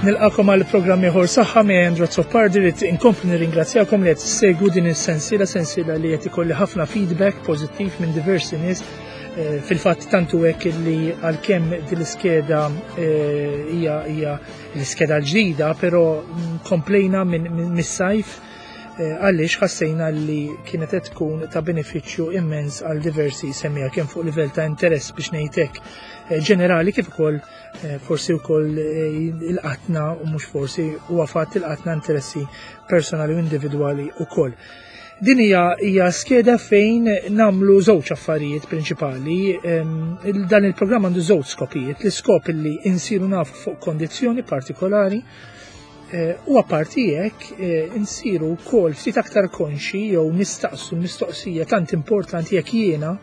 Nilqakom għal programm ieħor saħħa me Andrew Azzopardi li inkompli nirringrazzjakom li qed issegwu din is-sensiela sensiela li qed ikolli ħafna feedback pożittiv minn diversi nies eh, fil-fatt tantu hekk li għalkemm din l-iskeda eh, hija hija l-iskeda l-ġdida, però mm, komplejna minn mis-sajf eh, għaliex ħassejna li kienet qed tkun ta' benefiċċju immens għal diversi semmija kemm fuq livell ta' interess biex ngħidlek ġenerali kif ukoll Eh, forsi wkoll eh, il-qatna u mhux forsi huwa fatt il-qatna interessi personali u individwali wkoll. Din hija hija skeda fejn namlu żewġ affarijiet prinċipali. Ehm, dan il-programm għandu żewġ skopijiet. L-iskop li insiru nafu fuq kondizzjoni partikolari eh, u apparti hekk insiru wkoll ftit aktar konxi jew nistaqsu mistoqsija tant importanti jekk jiena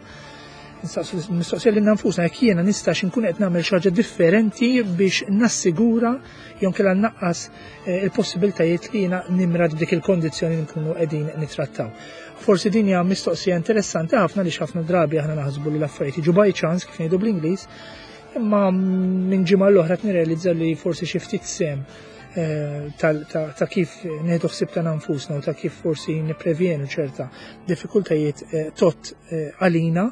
Nistaqsu mistoqsija lilna nfusna jekk jiena nistax inkun qed nagħmel xi ħaġa differenti biex nassigura jew kellha nnaqqas eh, il-possibiltajiet li jiena nimrad b'dik il-kondizzjoni li nkunu qegħdin nittrattaw. Forsi din hija mistoqsija interessanti ħafna li ħafna drabi aħna naħsbu li l-affarijiet jiġu by chance kif ngħidu bl-Ingliż, imma minn ġimgħa l-oħra nirrealizza li forsi xi ftit sem eh, ta' kif nieħdu ħsieb ta' nfusna u ta' kif forsi nipprevjenu ċerta diffikultajiet eh, tot eh, għalina.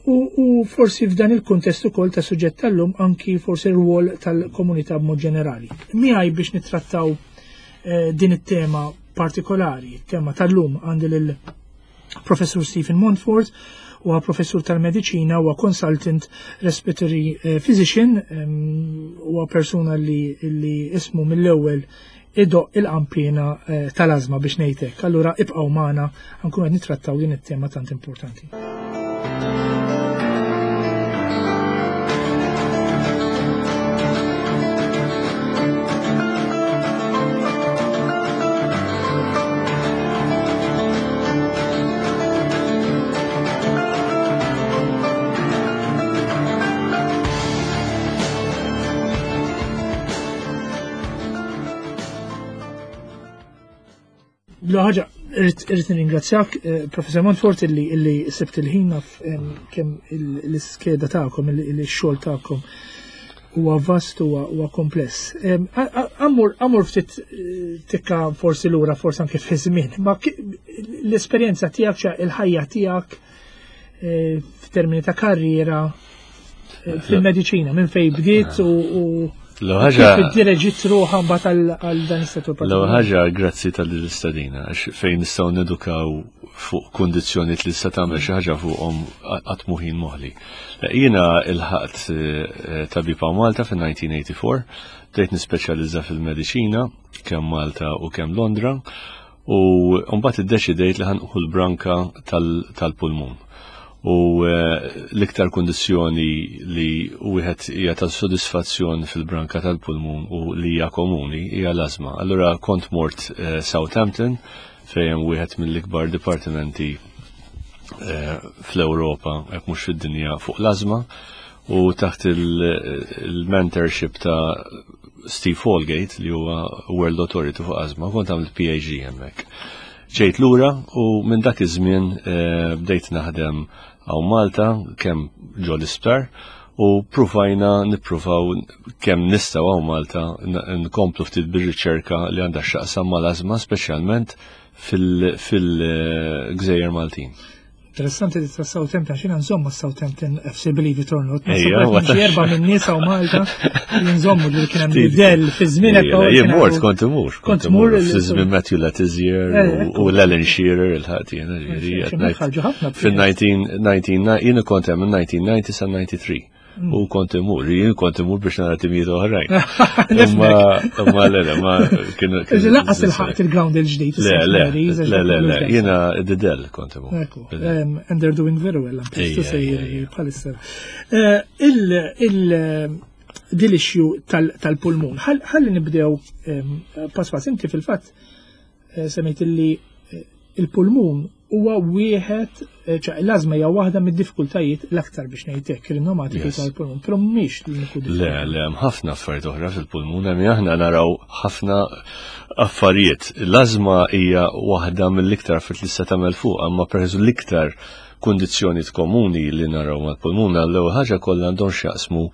U forsi f'dan il-kuntest ukoll ta' suġġett tal-lum anki forsi r-rwol tal-komunità b'mod ġenerali. Miegħi biex nittrattaw eh, din it-tema partikolari, tema tal-lum għandi lil Professur Stephen Montfort, huwa professur tal-mediċina, huwa consultant respiratory eh, physician, huwa persuna li, li ismu mill-ewwel idoqq il-qanpiena eh, tal-ażma biex ngħid hekk. Allura ibqgħu magħna nkunu qed nittrattaw din it-tema tant importanti. L-ħaġa, irrid nirringrazzjak, eh, Professor Montfort, illi illi sibt il-ħin naf kemm l-iskeda tagħkom, il-xogħol tagħkom huwa vast huwa kompless. Amur ftit eh, tikka forsi lura, forsi anke fi żmien, ma l-esperjenza tiegħek, il-ħajja tiegħek eh, f'termini ta' karriera eh, fil-mediċina minn fej bdiet u L-ħaġa. Id-direġit ruħa mbagħad għal dan is-settur. L-ħaġa grazzi tal-istadina għax fejn nistgħu nedukaw fuq kundizzjonijiet li se tagħmel xi ħaġa fuqhom qatt muħin moħli. Jiena ilħaqt eh, tabib Malta fin-1984, bdejt nispeċjalizza fil-mediċina kemm Malta u kemm Londra U mbagħad iddeċidejt li ħanqu l-branka tal-pulmun. U eh, l-iktar kundizzjoni li wieħed hija ta' sodisfazzjon fil-branka tal-pulmun u li hija komuni hija l-ażma. Allura kont mort eh, Southampton fejn hemm wieħed mill-ikbar dipartimenti eh, fl-Ewropa hekk mhux fid-dinja fuq l-ażma u taħt il-mentorship ta' Steve Holgate li huwa World Authority fuq Azma, kont għamilt PhD hemmhekk. Ġejt lura u minn dak iż-żmien eh, bdejt naħdem hawn Malta kemm ġo l-isptar u pruvajna nippruvaw kemm nistgħu hawn Malta nkomplu ftit bir-riċerka li għandha x'taqsam mal-ażma speċjalment fil-Gżejjer Maltin. Interessanti li ta' Southampton, xina nżommu Southampton FC Believe it or not. Erba minn nisa u Malta nżommu li kien hemm Dell fi żmien Jien mort kont imur. Kont imur fi żmien Matthew Letizier eh, u l-Ellen Shearer il-ħadd jiena ġifieri. Fil-19 jien kont hemm 1990 sa 93. U kont imur, jien kont imur biex nara timijiet oħrajn. Ma, ma le, le, ma kienu. Laqas il-ħaqt il-ground il-ġdid. Le, le, le, le, le, jiena id-del kont imur. And they're doing very well, bħalissa. Eh, il dil-issue tal-pulmun. Ħalli nibdew pass pass inti fil-fatt eh, semmejt illi eh, il-pulmun huwa wieħed, eh, ċa l-azma hija waħda mid-diffikultajiet l-aktar biex ngħidlek rinomati tal-pulmun, però mhix l-uniku Le, le, hemm ħafna affarijiet oħra fil-pulmun, hemm aħna naraw ħafna affarijiet. L-azma hija waħda mill-iktar affarijiet li se tagħmel fuq, imma pereżempju l-iktar kundizzjonijiet komuni li naraw mal-pulmun għall-ewwel ħaġa kollha għandhom x'jaqsmu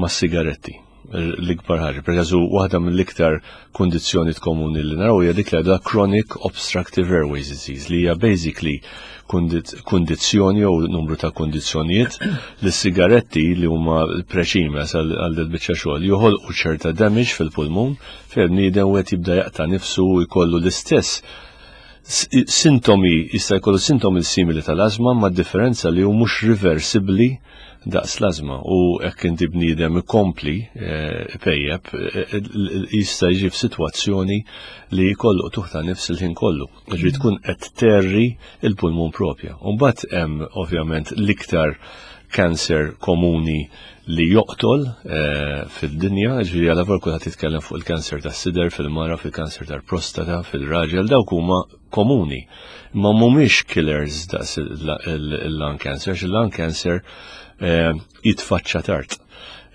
mas-sigaretti. l-ikbar ħaġa. Per każu waħda mill-iktar kundizzjoni komuni li naraw hija dik li għadha chronic obstructive airways disease li hija basically kundizzjoni jew numru ta' kundizzjonijiet li sigaretti li huma preċimes għal biċċa xogħol joħolqu ċerta damage fil-pulmun fejn bniedem wieħed jibda jaqta' nifsu u jkollu l-istess sintomi, jista' jkollu sintomi simili tal-ażma ma' differenza li hu mhux reversibbli daqs l-ażma u hekk inti bniedem ikompli eh, pejjeb eh, eh, jista' jiġi f'sitwazzjoni li jkollu tuħ ta' nifs il-ħin kollu. Ġifieri tkun qed terri il-pulmun propja. U mbagħad hemm ovvjament l-iktar cancer komuni li joqtol fid-dinja, ġifieri għal vor kulħadd jitkellem fuq il-kanser tas-sider fil-mara, fil-kanser tal-prostata, fil-raġel, dawk huma komuni. Ma mhumiex killers daqs il-lung cancer, il-lung cancer eh, jitfaċċa tard.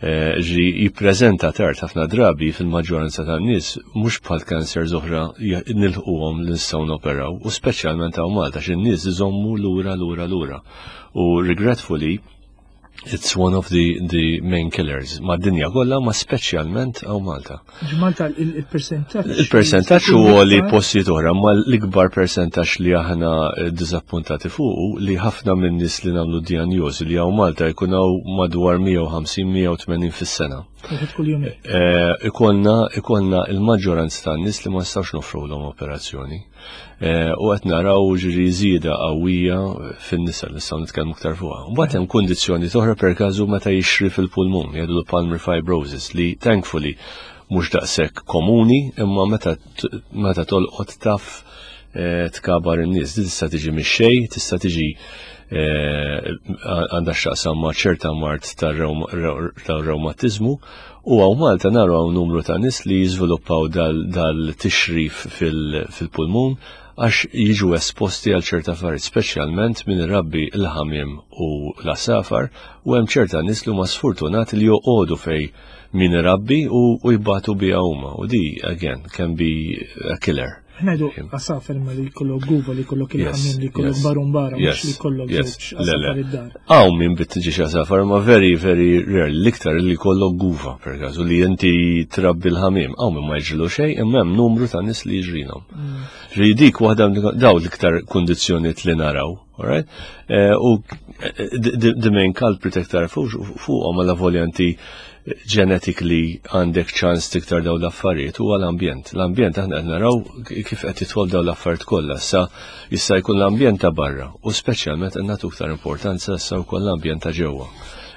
Eh, ġi jippreżenta tard ħafna drabi fil-maġġoranza tan-nies mhux bħal kanser oħra nilħquhom li nistgħu noperaw u speċjalment hawn Malta x'in-nies iżommu lura lura lura. U regretfully It's one of the, the main killers. Ma dinja kollha, ma speċjalment hawn Malta. Malta il-percentaġġ. Il-percentaġġ huwa li postijiet oħra, ma l-ikbar percentaġġ li aħna eh, diżappuntati fuq li ħafna minn nies li nagħmlu dijanjosi li hawn Malta jkun hawn madwar 150-180 fis-sena. Eh, ikollna ikollna il-maġġoranza tan-nies li ma nistgħux nofrulhom operazzjoni. Eh, u qed naraw ġiri żieda qawwija fin-nisa li nistgħu nitkellmu iktar fuqha. Mbagħad hemm kundizzjoni toħra per każu meta jixri fil-pulmun, jgħidu pulmonary fibrosis li thankfully mhux daqshekk komuni imma meta meta tolqot taf eh, tkabar in-nies. Din tista' tiġi mix-xejn, tista' tiġi eh, għandha x'taqsam ma' ċerta mard tar-rewmatiżmu U hawn Malta naraw hawn numru ta' nies li jiżviluppaw dal-tixrif fil-pulmun għax jiġu esposti għal ċerta affarijiet, speċjalment min irabbi l-ħamiem u l-għasafar, u hemm ċerta nies li huma sfortunati li joqogħdu fej min irabbi u jbatu biha huma. U di, again, can be a killer. Ngħidu għasafar imma li jkollok guva, li jkollok il-ħamiem, li jkollok barumbara, mhux li jkollok żewġ għasafar id-dar. Hawn min bit-tiġi għasafar, ma very, very rare, l-iktar li jkollok guva, per każ, li inti trabbi l-ħamiem, hawn min ma jġilu xejn, imma hemm numru ta' nies li jiġrilhom. Mm. Dik waħda daw l-iktar kundizzjonijiet li naraw. Alright? Eh, u eh, the main culprit iktar fuqhom għal voljanti genetically għandek ċans tiktar daw l-affarijiet huwa l-ambjent. L-ambjent aħna qed naraw kif qed jidħol daw l-affarijiet kollha. Sa jista' jkun l-ambjent ta' barra u speċjalment qed nagħtu iktar importanza issa wkoll l-ambjent ta' ġewwa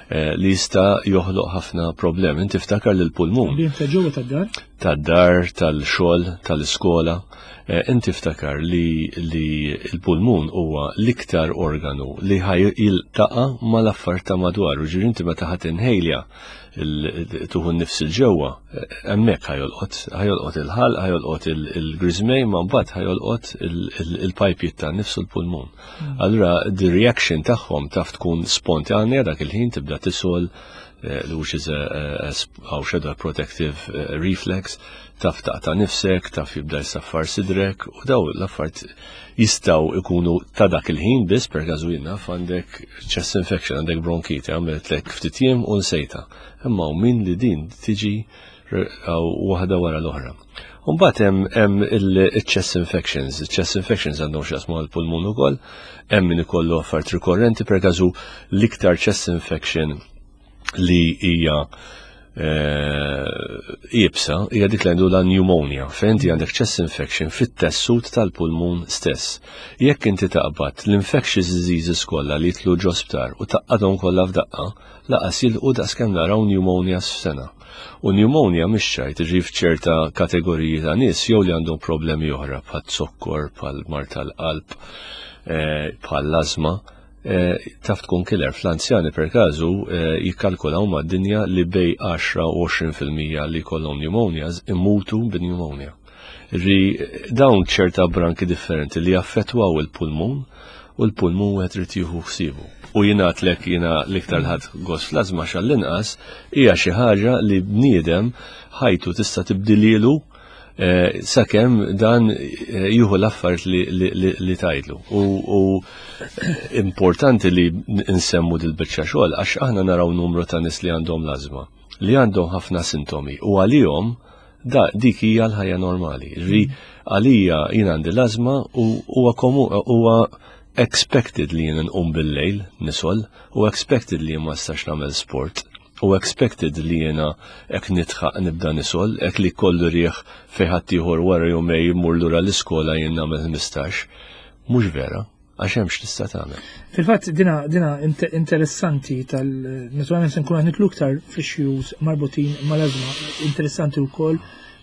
eh, li jista' joħloq ħafna problemi. Inti ftakar li l-pulmun. Ambjent ta' ġewwa tad-dar? Tad-dar, tal-xogħol, tal-iskola. Eh, inti ftakar li, li l-pulmun huwa l-iktar organu li ħaj jiltaqa mal-affar ta' madwar. U ġiri inti meta ħadd inħejlja tuħu nifs il-ġewwa, eh, hemmhekk ħajolqot, ħajolqot il-ħalq, ħajolqot il-griżmej, ma mbagħad ħajolqot il-pajpijiet ta' nifsu l-pulmun. Hmm. Allura the reaction tagħhom taf tkun spontanja dak il-ħin tibda tisol eh, which is a, a, a protective reflex taf taqta' nifsek, taf jibda jsaffar sidrek u daw l-affarijiet jistgħu ikunu ta' dak il-ħin biss per każu jien naf għandek chest infection, għandek bronkiti, għamlet ftit jiem u nsejta. Imma u min li din tiġi waħda wara l-oħra. Mbagħad hemm il-chest infections. Chest infections għandhom x'jaqsmu għall-pulmun ukoll, hemm min ikollu affarijiet rikorrenti per każu l-iktar chest infection li hija eh, iebsa hija dik li għandu la pneumonia, fejn inti għandek chest infection fit-tessut tal-pulmun stess. Jekk inti taqbad l-infectious diseases kollha li jitlu ġo sptar u taqqadhom kollha f'daqqa, laqas jilqu daqskemm naraw pneumonia f'sena. U pneumonia mhix ċajt tiġi f'ċerta kategoriji ta' nies jew li għandhom problemi oħra bħal zokkor, bħal mard tal-qalb, eh, bħal l-ażma, Eh, taf tkun killer fl-anzjani per każu eh, jikkalkulaw mad-dinja li bej 10 u 20% li jkollhom pneumonias imutu bi-pneumonia. Ri dawn ċerta branki differenti li jaffettwaw il-pulmun u l-pulmun wieħed irid jieħu ħsiebu. U jingħadlek jiena l-iktar ħadd gost fl-ażma xall-inqas hija xi ħaġa li bniedem ħajtu tista' tibdililu Eh, sakemm dan eh, jieħu l-affarijiet li tgħidlu. U importanti li nsemmu dil-biċċa xogħol għax aħna naraw numru ta' nies li għandhom l-ażma. li għandhom ħafna sintomi u għalihom da dik hija l-ħajja normali. Ġifieri għalija jien għandi l-ażma u huwa huwa expected li jien nqum bil-lejl nisol u expected li jien ma nistax nagħmel sport u expected li jiena hekk nitħaq nibda nisol, hekk li kollu rieħ fejn ħaddieħor wara jumej jmur lura l-iskola jien nagħmel 15. Mhux vera, għax hemm x'tista' tagħmel. Fil-fatt dina dina interessanti tal naturalment se nkunu qed nitlu iktar fl-issues marbutin mal-ażma. Interessanti wkoll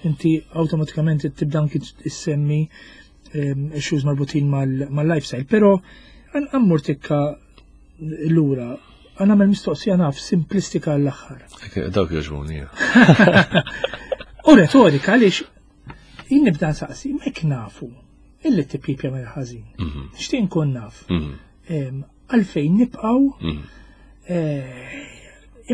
inti awtomatikament tibda anki issemmi issues marbutin mal-lifestyle, però għammur tikka lura għan għamel mistoqsija naf simplistika għall-aħħar. Dawk jogħġbuni. U retorika għaliex jien nibda nsaqsi, mek nafu illi t-tipjip jagħmel ħażin. Nixtieq nkun naf. Għalfejn nibqgħu mhm. eh,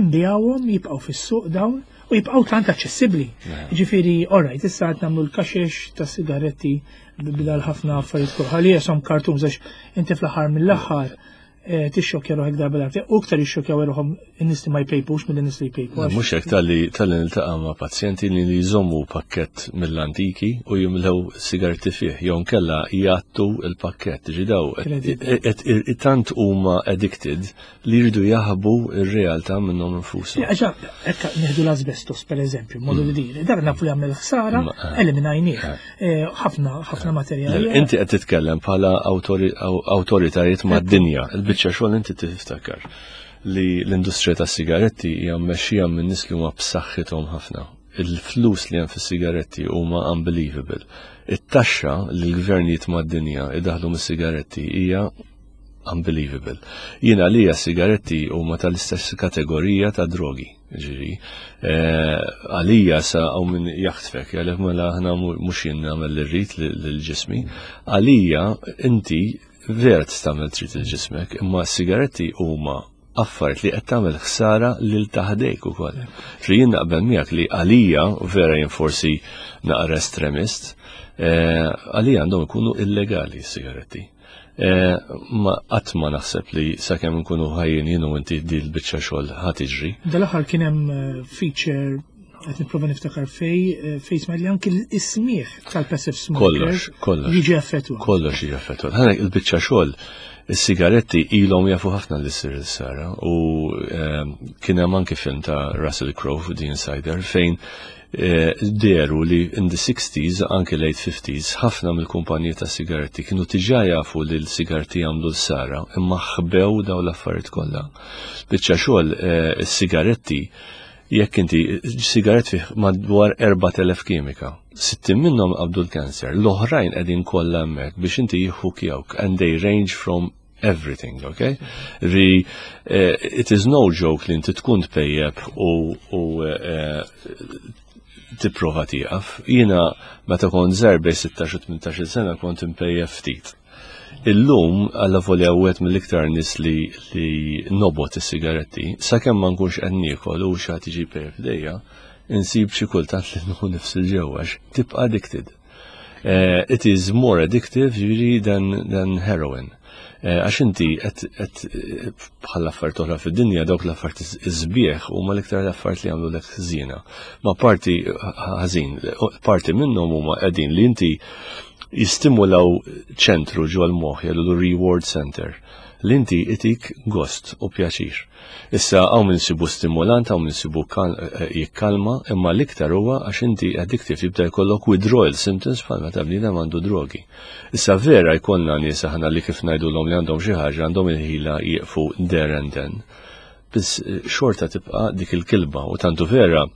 imbijawhom jibqgħu fis-suq dawn u jibqgħu tant aċċessibbli. Ġifieri, alright, issa qed nagħmlu l-kaxex ta' sigaretti bidal ħafna affarijiet kull ħalli jisom kartun għax inti fl-aħħar mill-aħħar Eh, tixxokkja ruħek darba darba, u iktar jixxokkjaw ruħhom in-nies li ma jpejpux milli nies li jpejpu. Mhux hekk talli talli niltaqa' ma' pazjenti li jżommu pakkett mill-antiki u jimlew sigarti fih, jew nkella jgħattu l-pakkett. Ġi daw tant huma addicted li jridu jaħbu r-realtà minnhom infushom. Għaxa, hekk nieħdu l-asbestos pereżempju, modu li din, dak nafu li għamel ħsara, eh. eliminajnieh. Eh, ħafna ħafna materjali. Inti qed titkellem bħala awtoritajiet mad-dinja, il-biċċa xogħol inti tiftakar li l-industrija tas-sigaretti hija mmexxija minn nies li huma b'saħħithom ħafna. Il-flus li hemm fis-sigaretti huma unbelievable. It-taxxa li l-gvernijiet mad-dinja idaħlu mis-sigaretti hija unbelievable. Jien għalija sigaretti huma tal-istess kategorija ta' drogi, ġiri. Eh, għalija sa għaw minn jaħtfek, għalek mela ħna mux jien nagħmel l-rrit l-ġismi. Għalija inti vera tagħmel trid il-ġismek, imma sigaretti huma affarijiet li qed tagħmel ħsara lil taħdejk ukoll. Ġri jien naqbel miegħek li għalija vera jien forsi naqra estremist, eh, għalija għandhom ikunu illegali s-sigaretti. Eh, ma qatt ma naħseb li sakemm nkunu ħajjin jien u inti di l-biċċa xogħol ħa tiġri. Dal-aħħar kien hemm eh, feature qed nipprova niftakar fej eh, fej smajt li anki l-ismieħ tal-passive smoker. Kollox, kollox. Jiġi affettwat. Kollox jiġi affettwat. Ħanek il-biċċa xogħol is-sigaretti ilhom jafu ħafna li ssir il-sara u kien hemm anki film ta' Russell Crowe The Insider fejn Eh, deru li in the 60s, anki late 50s, ħafna mill-kumpaniji ta' sigaretti kienu tiġa jafu li l-sigaretti jagħmlu l-sara, imma ħbew daw l-affarijiet kollha. Biċċa xogħol eh, is-sigaretti jekk inti sigaret fih madwar 4000 kimika, 60 minnhom qabdu l-kanser, l-oħrajn qegħdin kollha hemmhekk biex inti jħukjawk and they range from everything, okay? Ri, uh, it is no joke li inti tkun tpejjeb u, u uh, tipprova tieqaf. Jiena meta kont żgħar bej 16 u 18 sena kont impejjeb ftit. Illum għalla volja wieħed mill-iktar nies li, li nobot is-sigaretti, sakemm ma nkunx qed niekol u xi ħadd jiġi pejjeb f'dejja, insib xi kultant li nħu nifs il-ġewwa tibqa' addicted. Uh, it is more addictive ġifieri than, than heroin. Eh, għax inti qed bħal affarijiet oħra fid-dinja dawk l-affarijiet iżbieħ huma l-iktar l-affarijiet li jagħmlu lek ħżiena. Ma parti ħażin, parti minnhom huma qegħdin li inti jistimulaw ċentru ġol moħħ jgħidu reward center li inti itik gost u pjaċir. Issa hawn min sibu stimulant, hawn min sibu eh, jikkalma, imma l-iktar huwa għax inti addictive jibda jkollok withdrawal symptoms bħal meta bniedem għandu drogi. Issa vera jkollna nies aħna li kif ngħidulhom li għandhom xi ħaġa għandhom il-ħila jieqfu there and then. Biss eh, xorta tibqa' dik il-kilba u tantu vera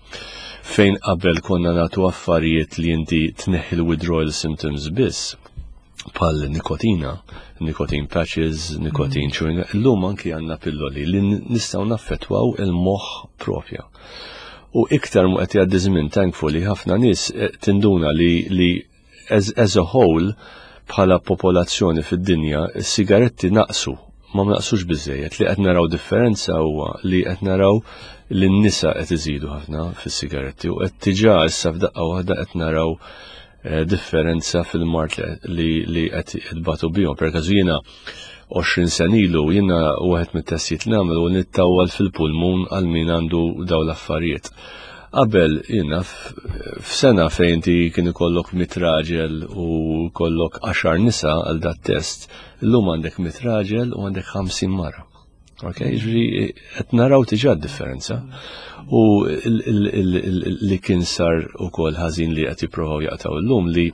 fejn qabel konna nagħtu affarijiet li inti tneħħi l-withdrawal symptoms biss pal nikotina, nicotine patches, nicotine mm. chewing, illum anki għanna pilloli li nistgħu naffettwaw il-moħħ propja. U iktar mu qed jgħaddi żmien thankfully ħafna nies eh, tinduna li, li as, as a whole bħala popolazzjoni fid-dinja is-sigaretti naqsu ma naqsux biżejjed li qed naraw differenza huwa li qed naraw li n-nisa qed iżidu ħafna fis-sigaretti u qed tiġà issa f'daqqa waħda qed naraw. differenza fil-mard li qed jitbatu bihom. Per każu jiena 20 sena ilu jiena wieħed mit-testijiet li nagħmel u nittawwal fil-pulmun għal min għandu daw l-affarijiet. Qabel jiena f'sena fejn inti kien ikollok mit raġel u kollok 10 nisa għal dat test, illum għandek mit raġel u għandek 50 mara. Ok, ġri, qed naraw diġà differenza. U li kien sar ukoll ħażin li qed jippruvaw jaqtaw illum li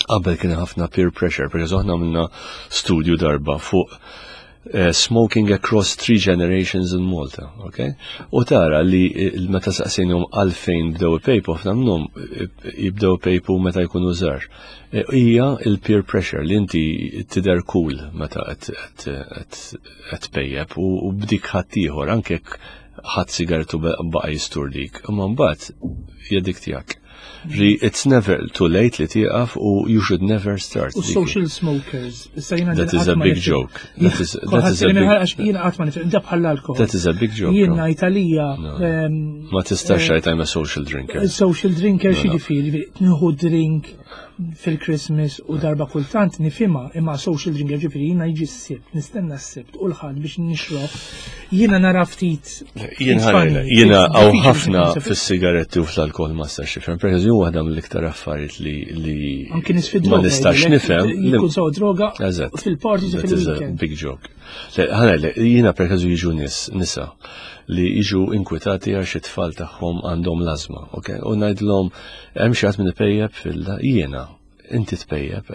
qabel kien ħafna peer pressure, per aħna għamilna studju darba fuq smoking across three generations in Malta, ok? U tara li meta saqsejnhom għalfejn bdew ipejpu, ħafna minnhom jibdew ipejpu meta jkunu żgħar. Hija il-peer pressure li inti tidher cool meta qed tpejjep u b'dik ħadd ieħor anke jekk ħadd sigarettu baqa' jisturdik, imma mbagħad hija dik tiegħek. Ri, it's never too late li tieqaf u you should never start. U social smokers. Issa jiena That is a big joke. That is a big Jiena qatt ma nifhem, da bħal alkohol. That is a big joke. Jiena Italija. Ma tistax tgħid I'm a social drinker. Social drinker No. x'jiġifieri, nieħu drink fil-Christmas u darba kultant nifhimha, imma social drinker ġifieri jiena jiġi s-Sibt, nistenna s-Sibt u l-Ħadd biex nixrob. Jiena nara ftit. Jien funny, jiena ftit għaw diffiċli ħafna biex fis-sigaretti u fl-alkohol ma nistax nifhem. Per eżempju, waħda mill-iktar affarijiet li Anki nies fi ma droga. nistax jgħidulek, nifhem. Jkun sew droga fil-parties u That is a fil-weekend. big joke. Le, ħana, le, jiena per każu jiġu nies, nisa, li jiġu inkwitati għax it-tfal tagħhom għandhom l-azma, ok? U ngħidlhom hemm xi ħadd minn ipejjep fil jiena, inti tpejjep,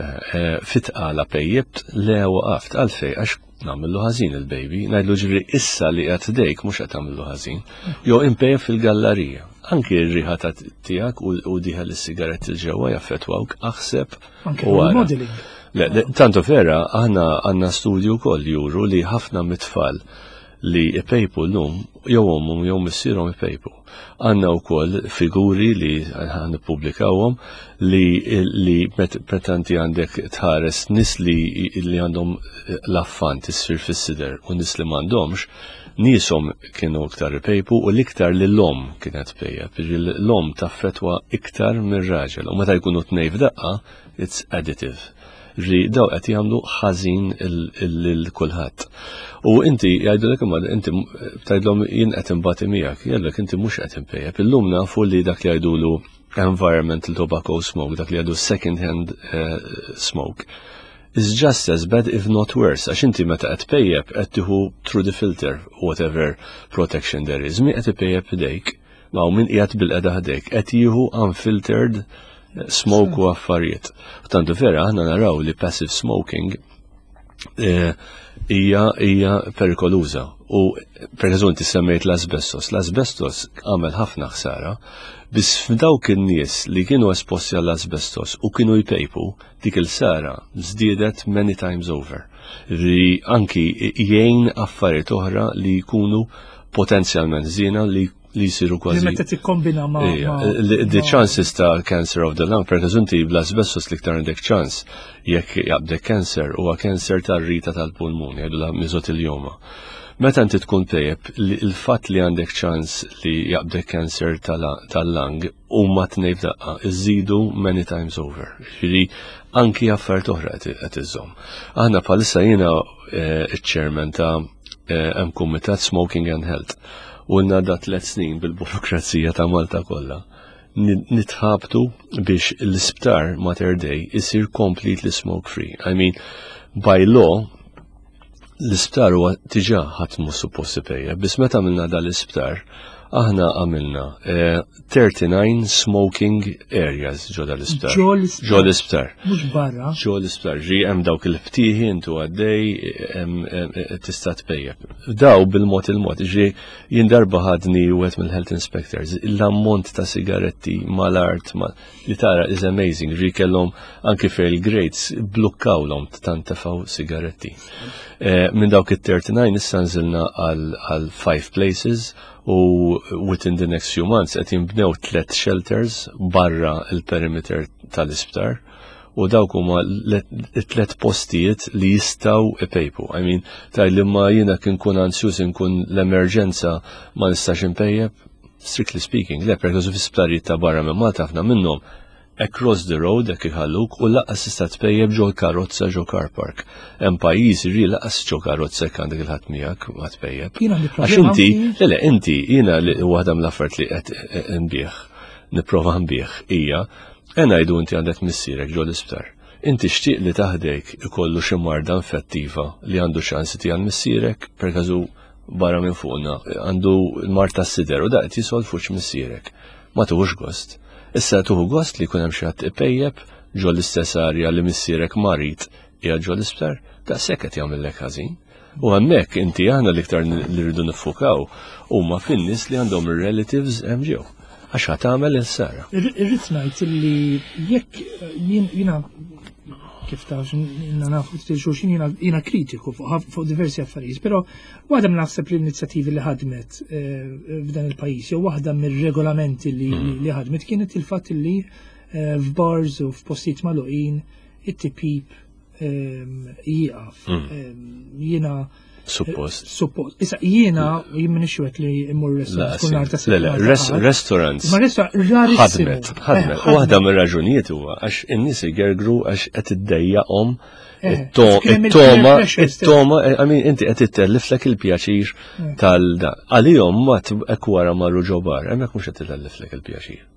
fit-tqala pejjept, le waqaft, għalfej, għax nagħmillu ħażin il-baby, ngħidlu ġifieri issa li qed dejk mhux qed tagħmillu ħażin, jew impejjep fil-gallarija. Anki r-riħa ta' tiegħek u diħel is-sigaretti l-ġewwa jaffettwawk, aħseb Anke u ara. modeling. Le, tanto vera, aħna għandna studju wkoll juru li ħafna mit-tfal li ipejpu l-lum, jew ommhom jew missierhom ipejpu. Għandna wkoll figuri li ħa nippubblikawhom li meta inti għandek tħares nies li għandhom l-affan tisfir fis-sider u nies li m'għandhomx, nieshom kienu iktar ipejpu u l-iktar li l-om kienet pejjep. L-om taffetwa iktar mir-raġel u meta jkunu tnej f'daqqa, it's additive. Ġi daw qed jagħmlu ħażin lil kulħadd. U inti jgħidulek imma inti tgħidlhom jien qed imbati miegħek, jgħidlek inti mhux qed impejjep. Illum nafu li dak li jgħidulu environmental tobacco smoke, dak li jgħidu second hand smoke, is just as bad if not worse. Għax inti meta qed pejjep qed tieħu through the filter whatever protection there is. Mi qed ipejjep ħdejk, ma min qiegħed bil-qeda ħdejk qed jieħu unfiltered smoke u affarijiet. Tantu vera aħna naraw li passive smoking hija perikoluża. U per eżempju inti semmejt l-asbestos. L-asbestos għamel ħafna ħsara, biss f'dawk in-nies li kienu esposti għall-asbestos u kienu jpejpu, dik il-ħsara żdiedet many times over. Li anki jgħin affarijiet oħra li jkunu potenzjalment żiena li jisiru kważi. Meta tikkombina ma' Ija, the chances ta' cancer of the lung, per eżempju inti bl-asbestos l-iktar għandek ċans jekk jaqbdek cancer huwa cancer tar-rita tal-pulmun, jgħidu la mesothelioma. Meta inti tkun tejjeb, il-fatt li għandek ċans li jaqbdek cancer tal-lung u ma tnej f'daqqa, iżidu many times over. Ġifieri anki affarijiet oħra qed iżżomm. Aħna bħalissa jiena iċ-chairman ta' hemm kumitat Smoking and Health. U għandna da 3 snin bil-burokrazija ta' Malta kollha. Nitħabtu biex l-isptar Mater Dei isir completely smoke free. I mean, by law, l-isptar huwa diġà ħadd mhu suppost ipejjep, biss meta għamilna dal-isptar, aħna għamilna 39 smoking areas ġo dal-isptar. Ġo l-isptar. Ġo l-isptar. Mhux barra. Ġo l-isptar. Ġi hemm dawk il-ftieħi intu għaddej tista' tpejjep. Daw bil-mod il-mod. Ġi jien darba ħadni wieħed mill-health inspectors, l-ammont ta' sigaretti mal-art li tara is amazing. Ġi kellhom anki fejn il-grates blukkawlhom tant tefgħu sigaretti. Minn dawk it-39 issa nżilna għal 5 places u within the next few months qed jinbnew 3 shelters barra il-perimeter tal-isptar u dawk huma it-tliet postijiet li jistgħu ipejpu. I mean, taj li ma jiena kien kun ansjus inkun l-emerġenza ma nistax impejjeb, strictly speaking, le, per eżempju fi sptarijiet ta' barra minn Malta ħafna minnhom Across the road hekk iħalluk u lanqas tista' tpejjep ġol karozza ġo car park. Hemm pajjiżi ri lanqas ġo karozza jekk għandek il-ħadd miegħek ma tpejjep. Għax inti, le le, inti jiena li waħda mill-affarijiet li qed nbih, nipprova nbih hija e ngħidu inti għandek missierek ġo l-isptar. Inti xtieq li taħdejk ikollu xi marda infettiva li għandu ċans ti għal missierek per każu barra minn fuqna għandu l-mard tas-sider u daqt jisol fuq missierek. Ma tuħux gost. Issa tuħu gost li jkun hemm xi ħadd ipejjep ġo l-istess arja li missierek marid qiegħed ġo l-isptar, daqshekk qed jagħmillek ħażin. U hemmhekk inti aħna l-iktar li rridu niffukaw huma fin-nies li għandhom ir-relatives hemm ġew. Għax ħa tagħmel il-sara. Irrid ngħid li jekk jiena kif taf jiena nafu xulxin jiena kritiku fuq diversi affarijiet, però waħda minn naħseb l-inizjattivi li ħadmet eh, f'dan il-pajjiż jew waħda mir-regolamenti li mm. ħadmet kienet il-fatt li eh, f'bars u f'postijiet magħluqin it-tipip ehm, jieqaf. Mm. Ehm, jiena Suppost. Suppost. Issa jiena jien minix wieħed li immur restaurant kull nhar ta' Le, restaurants. Ma restaurant rarissimu. Ħadmet, ħadmet. Eh, waħda mir-raġunijiet huwa għax in-nies igergru għax qed iddejjaqhom eh, it-toma, it-toma, eh, I mean, inti qed ittelliflek il-pjaċir tal-da. Għalihom ma hekk wara marru ġobar, hemmhekk mhux qed itelliflek il-pjaċir.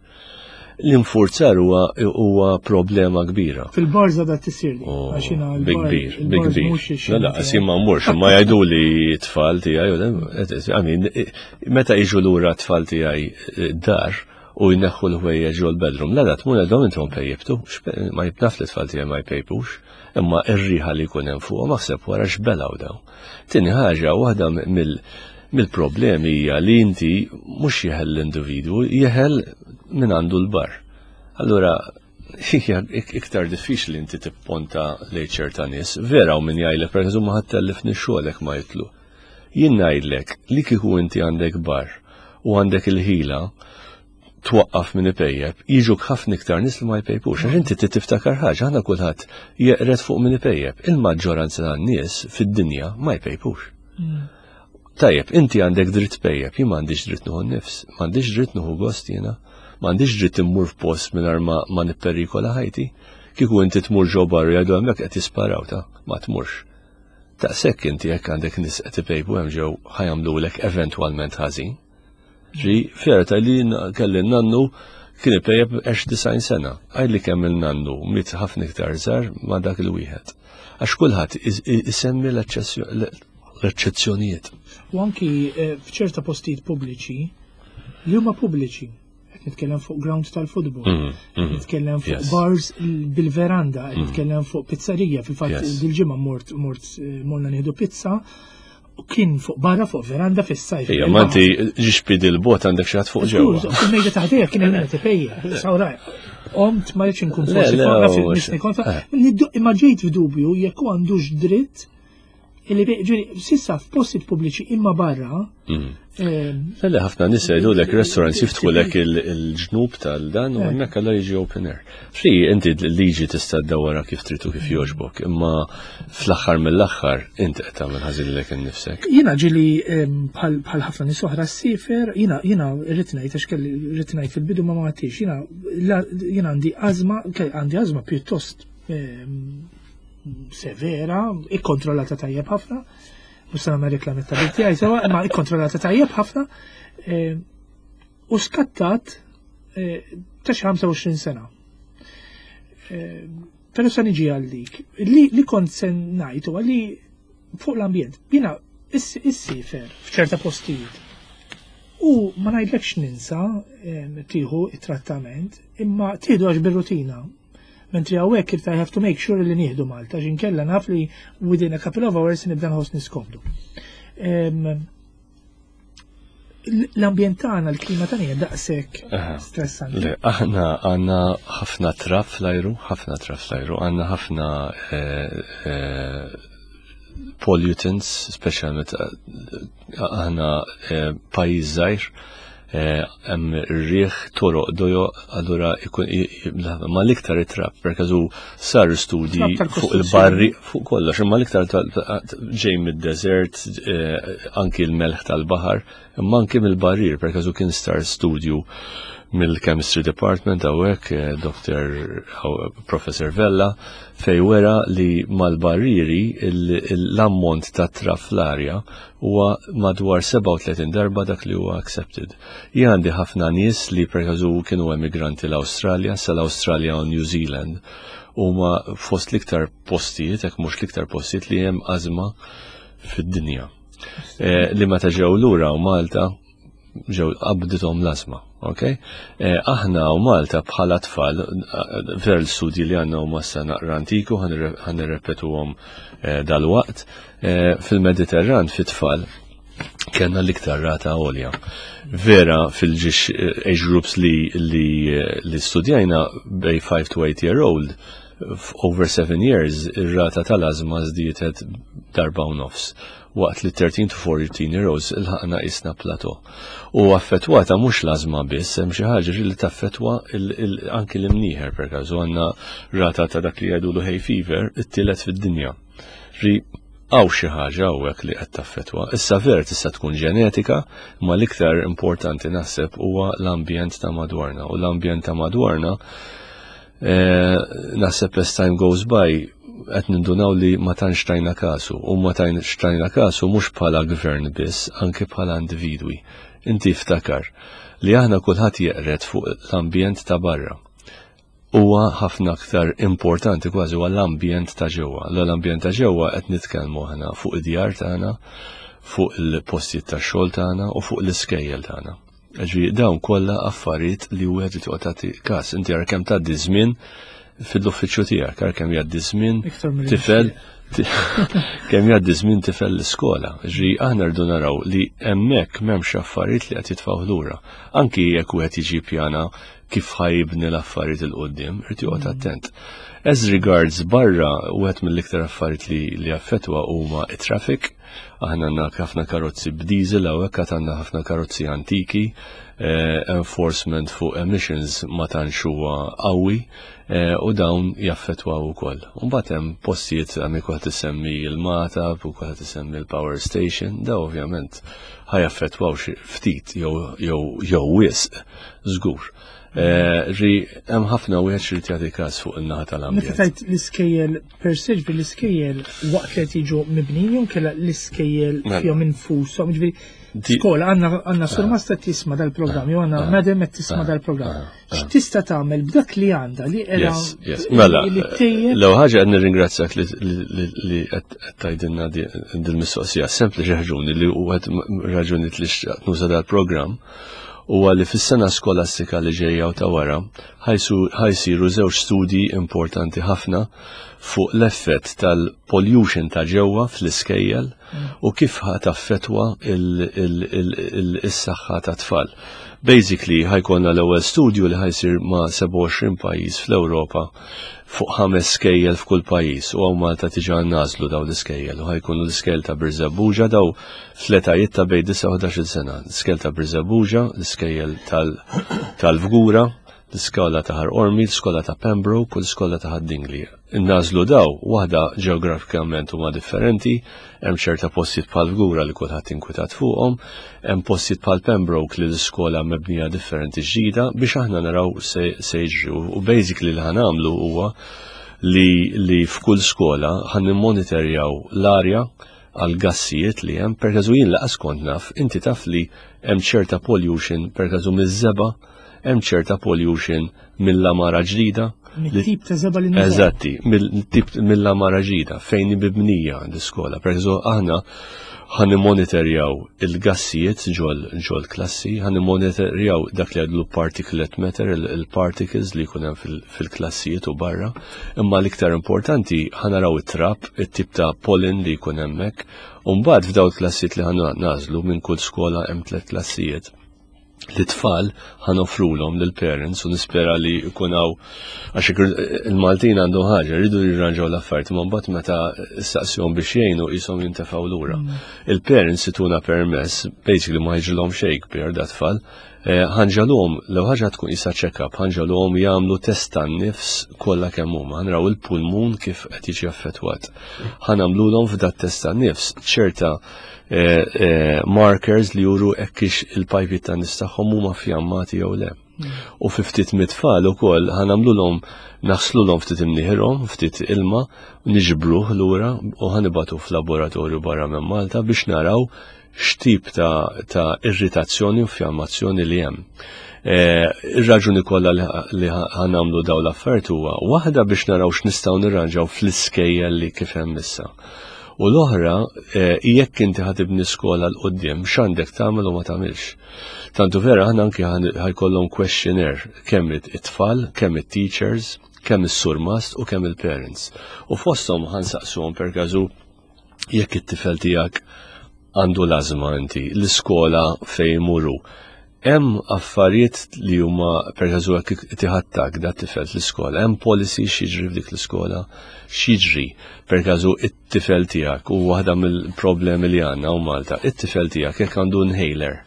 L-infurzar huwa huwa problema kbira. Fil-barza da tisir li. Oh, big kbir, big kbir. La la, jien ma mmurx, ma jgħidu li tfal tiegħi, I mean, meta jiġu lura tfal tiegħi eh, dar u jneħħu l-ħwejjeġ ġol bedroom, la la tmur għedhom intom pejjibtu, ma jibnaf li tfal tiegħi ma jpejpux, imma ir-riħa li jkun hemm fuqhom aħseb wara x'belaw daw. Tieni ħaġa waħda mill mill-problemi hija li inti mhux jeħel l-individwu, jeħel min għandu l-bar. Allura, hija iktar diffiċli inti tipponta lejn ċerta nies, vera u min jgħidlek per eżempju ma ħadd xogħolek ma jitlu. Jien ngħidlek li kieku inti għandek bar u għandek il-ħila twaqqaf minn ipejjep, jiġuk ħafna iktar nies li ma jpejpux. Għax inti tiftakar ħaġa, aħna kulħadd jeqred fuq minn ipejjep. Il-maġġoranza tan-nies fid-dinja ma jpejpux. Mm. Tajjeb, inti għandek dritt pejjep, jien m'għandix dritt nieħu nnifs, m'għandix dritt nieħu gost jiena, m'għandix dritt immur f'post mingħajr ma, ma nipperikola ħajti. Kieku inti tmur ġo barru jgħidu hemmhekk qed jisparaw ta' ma tmurx. Taqsek inti jekk għandek nies qed ipejpu hemm ġew ħajamlulek eventwalment ħażin. Ġi, ferta li kelli nannu kien ipejjeb għex 90 sena. Għaj li kemm il-nannu miet ħafna iktar żgħar ma' dak il-wieħed. Għax kulħadd isemmi l-eċċezzjonijiet. U anki eh, f'ċerta postijiet pubbliċi li huma pubbliċi qed nitkellem fuq grounds tal-futbol, mm, mm, nitkellem fuq bars bil-veranda, qed mm. nitkellem fuq pizzerija, fil-fatt dil-ġimgħa mort mort eh, morna nieħdu pizza U kien fuq barra fuq veranda fis-sajf. Ejja, ma inti ġixpid il-bot għandek xi ħadd fuq ġewwa. Il-mejda taħdejja kien hemm qed ipejja. Sawra, qomt ma rridx inkun forsi naf nisni kontra. Eh. Imma ġejt f'dubju jekk hu għandux dritt illi ġifieri sissa f'postijiet pubbliċi imma barra. Mm. Ehm, le ħafna nies jgħidulek restaurants jiftħulek il-ġnub tal-dan u eh. hemmhekk alla jiġi open air. Fri inti l-liġi tista' ddawwarha kif trid u kif jogħġbok, imma fl-aħħar mill-aħħar inti qed tagħmel ħażin lilek innifsek. Jiena ġieli bħal ħafna nies oħra ssifer, jiena jiena rrid ngħid għax kelli rrid ngħid fil-bidu ma ma jiena jiena għandi ażma, għandi ażma pjuttost severa, ikkontrollata tajjeb ħafna, mhux se nagħmel reklami ta' tiegħi sewa, imma ikkontrollata tajjeb ħafna. U skattat eh, ta' xi 25 sena. Eh, però sa niġi għal dik. Li kont se ngħid huwa li fuq l-ambjent, jiena issifer f'ċerta postijiet. U ma ngħidlekx ninsa eh, tieħu it-trattament, imma tieħdu għax bir-rutina. Mentri hawnhekk irid I have to make sure li nieħdu Malta, għax inkella naf li within a couple of hours nibda nħossni skomdu. L-ambjent tagħna, l-klima tagħna hija daqshekk stressanti. Le, aħna għandna ħafna traf fl-ajru, ħafna traf fl-ajru, għandna ħafna eh, eh, pollutants, speċjalment eh, aħna pajjiż żgħir, hemm ir-riħ toroq dojo allura ikun ma l-iktar it-trab per każu sar studji fuq il-barri fuq kollox imma l-iktar ġej mid-deżert anki l-melħ tal-baħar. Imma anki mill-barrier, per każu kien star studju mill-Chemistry Department hawnhekk eh, Dr. Professor Vella fej wera li mal-barriri l-ammont ta' traf fl-arja huwa madwar 37 darba dak li huwa accepted. Jien għandi ħafna nies li per każu kienu emigranti l-Awstralja, sal-Awstralja u New Zealand huma fost l-iktar postijiet, jekk mhux l-iktar postijiet li hemm ażma fid-dinja. Eh, li meta ġew lura u Malta ġew qabdithom l-asma. Okay? Eh, aħna u Malta bħala tfal, eh, ver l-studji li għandna huma sa naqra antiku, ħan nirrepetuhom dal-waqt, fil-Mediterran fit-tfal kellna l-iktar rata għolja. Vera fil-ġiex age groups li, li, li studjajna bej 5 to 8 year old, over 7 years ir-rata tal-ażma żdietet darba u nofs waqt li 13 to 14 year olds ilħaqna isna plateau. U affettwata mhux l-ażma biss, hemm xi ħaġa li taffettwa anki l-imnieħer per każu għandna rata ta' dak li jgħidulu hay fever it-tielet fid-dinja. Ri hawn xi ħaġa hawnhekk li qed taffettwa. Issa ver tista' tkun ġenetika, imma l-iktar importanti naħseb huwa l-ambjent ta' madwarna. U l-ambjent ta' madwarna eh, naħseb as time goes by qed nindunaw li ma tantx tajna kasu u ma tantx tajna kasu mhux bħala gvern biss, anke bħala individwi. Inti ftakar li aħna kulħadd jeqred fuq l-ambjent ta' barra huwa ħafna aktar importanti kważi huwa l-ambjent ta' ġewwa. L-ambjent ta' ġewwa qed nitkellmu aħna fuq id-djar tagħna, fuq il-postijiet tax-xogħol tagħna u fuq l-iskejjel tagħna. Ġifieri dawn kollha affarijiet li wieħed irid joqgħod tagħti każ. Inti ara kemm tgħaddi żmien fil-uffiċċju tiegħek, ara kemm jgħaddi żmien tifel kemm jgħaddi żmien tifel l-iskola. Ġi aħna rridu naraw li hemmhekk m'hemmx affarijiet li qed jitfgħu lura. Anki jekk wieħed jiġi pjana kif ħajibni l-affarijiet il qudiem irid joqgħod attent. As regards barra, wieħed mill-iktar affarijiet li, li affettwa huma it-traffic. Aħna għandna ħafna karozzi b'diesel hawnhekk għad għandna ħafna karozzi antiki, eh, enforcement fuq emissions ma tantx huwa qawwi eh, u dawn jaffettwaw ukoll. Mbagħad hemm postijiet hemm kulħadd isemmi l-Mata, u kulħadd isemmi l-power station, daw ovvjament ħajaffettwaw xi ftit jew jew jew wisq żgur. Eh, ġi hemm ħafna wieħed xi jagħti każ fuq in-naħa tal-ambjent. Meta tajt l-iskejjel per se ġifieri l-iskejjel waqt li qed jiġu mibnijin jew kellha l-iskejjel mela. fihom infushom, ġifieri skola għandna għandna ah. surmasta tisma' dal-programm jew għandna ah. madam qed tisma' ah. dal-programm. X'tista' tagħmel b'dak li għandha li qiegħda Mela, l ħaġa qed nirringrazzjak li qed tgħidilna dil-mistoqsija sempliċi raġuni li wieħed raġuni li xtaqt nuża dal-programm huwa li fis-sena skolastika li ġejja u ta' wara ħajsiru żewġ studji importanti ħafna fuq l-effett tal-pollution ta' ġewwa fl-iskejjel u kif taffetwa il-saħħa ta' tfal. Basically, ħajkonna l-ewwel studju li ħajsir ma' 27 pajjiż fl-Ewropa fuq ħames skejjel f'kull pajjiż u hawn Malta diġà nagħżlu daw l-iskejjel u ħajkunu l-iskejjel ta' Birżebbuġa daw fl-etajiet ta' bejn 9 u 11 sena. L-iskejjel ta' Birżebbuġa, l-iskejjel tal-Fgura, l-iskola ta' Ħal Qormi, l-iskola ta' Pembroke u l-iskola ta' Ħad-Dingli. Nagħżlu daw, waħda ġeografikament huma differenti, hemm ċerta postijiet bħal Fgura li kulħadd inkwitat fuqhom, hemm postijiet bħal Pembroke li l-iskola mebnija differenti ġdida biex aħna naraw se jiġri. U basically li ħanamlu huwa li, li f'kull skola ħan nimmonitorjaw l-arja għal gassijiet li hemm, per każu jien laqas kont naf, inti taf li hemm ċerta pollution per każu miż-żeba, hemm ċerta pollution mill-amara ġdida. Mit-tip ta' żeba li Eżatti, mill-tip mill-amara ġdida fejn mibnija l-iskola. Per eżempju, aħna ħan monitorjaw il-gassijiet ġol ġol klassi, ħan monitorjaw dak li għadlu particulate matter, il-particles li jkun hemm fil-klassijiet u barra, imma l-iktar importanti ħan naraw it-trab, it-tip ta' pollen li jkun hemmhekk, u mbagħad f'daw il-klassijiet li ħan nażlu minn kull skola hemm tliet klassijiet l-tfal ħanofrulhom lill-parents u nispera li jkun hawn għax il-Maltin għandhom ħaġa, rridu jirranġaw l-affarijiet, imma mbagħad meta staqsihom biex jgħinu qishom jintefgħu lura. Il-parents ituna permess, basically ma jiġrilhom xejn kbir da tfal, Eh, ħanġalhom, l ħaġa tkun isa check-up, ħanġalhom jagħmlu test tan-nifs kollha kemm huma, ħanraw il-pulmun kif qed jiġi affettwat. Ħanamlulhom f'dat test tan-nifs ċerta eh, eh, markers li juru hekk il-pajpi tan-nifs tagħhom huma fjammati jew le. U fi ftit mit-tfal ukoll ħanamlulhom naħslulhom ftit imnieħirhom, ftit ilma, niġbruh lura u ħanibatu f'laboratorju barra minn Malta biex naraw x'tip ta', ta irritazzjoni u fjammazzjoni li hemm. E, Ir-raġuni kollha li ħanamlu daw l-affarijiet huwa waħda biex naraw x'nistgħu nirranġaw fl-iskejjel li kif hemm issa. U l-oħra, e, jekk inti ħatibni skola l qudiem x'għandek tagħmel u ma tagħmilx. Tantu vera aħna anki ħajkollhom questionnaire kemm it-tfal, kemm it-teachers, kemm is-surmast u kemm il-parents. U fosthom ħansaqsuhom per każu jekk it-tifel tiegħek għandu l-ażma inti, l-iskola fejn imuru. Hemm affarijiet li huma per eżempju jekk tiħattak da tifel fl-iskola, hemm policy x'jiġri f'dik l-iskola, x'jiġri per każu it-tifel tiegħek u waħda mill-problemi li għandna u Malta, it-tifel tiegħek jekk għandu inhaler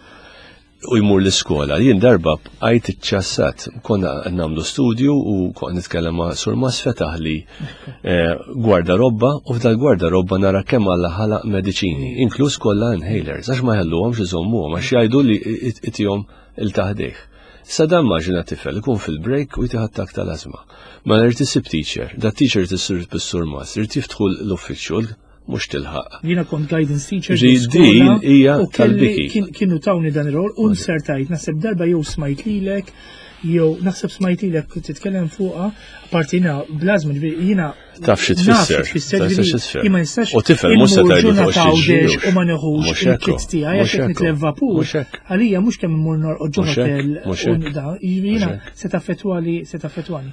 u jmur l-iskola. Jien darba bqajt iċċassat, konna nagħmlu studju u konna nitkellem ma' Sur Mas fetaħ li eh, gwardarobba u f'dal gwardarobba nara kemm Alla ħalaq mediċini, inkluż kollha inhalers, għax ma ħelluhomx iżommuhom għax jgħidu li itihom il-taħdejh. Sa dan maġina tifel ikun fil-break u jtiħat tak tal-azma. Ma rrid isib teacher, da teacher tisir bis-sur Mas, irid jiftħu l-uffiċċju mhux tilħaq. Jiena kont guidance teacher. Din hija tal-biki. Kienu tawni dan ir-rol u nsertajt naħseb darba jew smajt lilek jew naħseb smajt lilek titkellem fuqha parti jiena blażma ġifieri jiena taf xi tfisser. Tfisser. Ma nistax. U tifel mhux se tgħidu fuq xi u ma neħux il-kit tiegħi għax qed nitlef vapur. Għalija mhux kemm immur norqod ġo hotel jiena se taffettwali se taffettwani.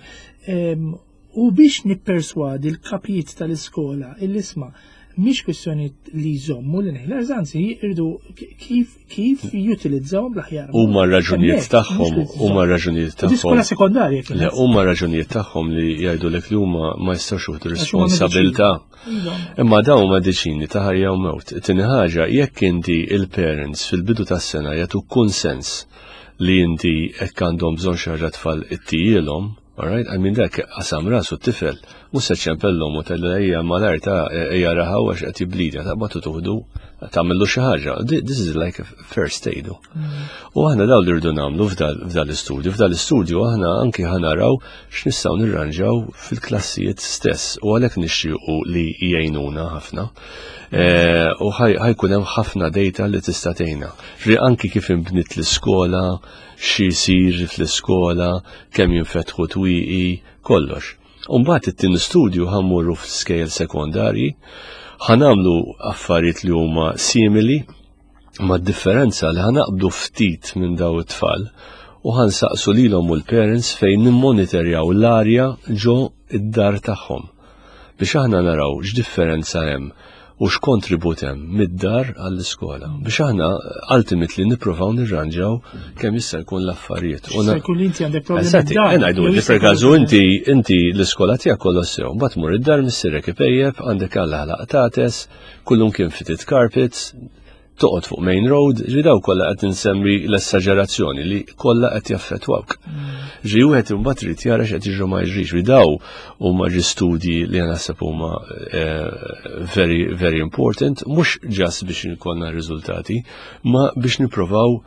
U biex nipperswadi l-kapijiet tal-iskola illi isma' mhix kwistjoni li jżommu l-inhalers, anzi jridu kif kif jutilizzawhom bl-aħjar. Huma raġunijiet tagħhom, huma raġunijiet tagħhom. Skola sekondarja kien. Le, huma raġunijiet tagħhom li jgħidulek li huma ma jistgħux jieħdu responsabilità. Iva. Imma dawn huma mediċini ta' ħajja u mewt. Tieni ħaġa, jekk inti il-parents fil-bidu tas-sena jagħtu kunsens li inti hekk għandhom bżonn xi ħaġa tfal ittijielhom, Alright, I mean dak qasam rasu t-tifel, mhux se ċempellhom u tgħidlu ejja malajr ta' ejja raħaw għax qed jiblidja, taqbad u tuħdu tagħmillu xi ħaġa. This is like a first aid. Mm. U aħna daw li rridu nagħmlu f'dal istudju, f'dal istudju aħna anki ħanaraw x'nistgħu nirranġaw fil-klassijiet stess u għalhekk nixtiequ li jgħinuna ħafna. Eh, u ħajkun hemm ħafna data li tista' tgħinna. Anki kif inbniet l-iskola, xi jsir fl-iskola, kemm jinfetħu twieqi, kollox. U mbagħad it-tieni studju ħa mmorru fl-iskejjel sekondarji, ħa nagħmlu affarijiet li huma simili, ma' differenza li ħa naqbdu ftit minn daw it-tfal u ħa nsaqsu lilhom u l-parents fejn nimmonitorjaw l-arja ġo id-dar tagħhom biex aħna naraw x'differenza hemm u x'kontribut hemm mid-dar għall-iskola biex aħna ultimately nippruvaw nirranġaw kemm jista' jkun l-affarijiet. U jkun inti għandek problemi. Eżatti, ngħidu li per każu inti inti l-iskola tiegħek kollox sew, mbagħad mur id-dar missierek ipejjeb, għandek alla ħlaq tates, kullum kien fitted carpets, toqgħod fuq main road, ġi daw kollha qed insemmi l-esaġerazzjoni li kollha qed jaffettwawk. Ġi wieħed imbagħad trid jara x'qed jiġru ma jiġrix, ġi daw huma ġi studji li naħseb huma eh, very very important, mhux ġas biex ikollna riżultati, ma biex nipprovaw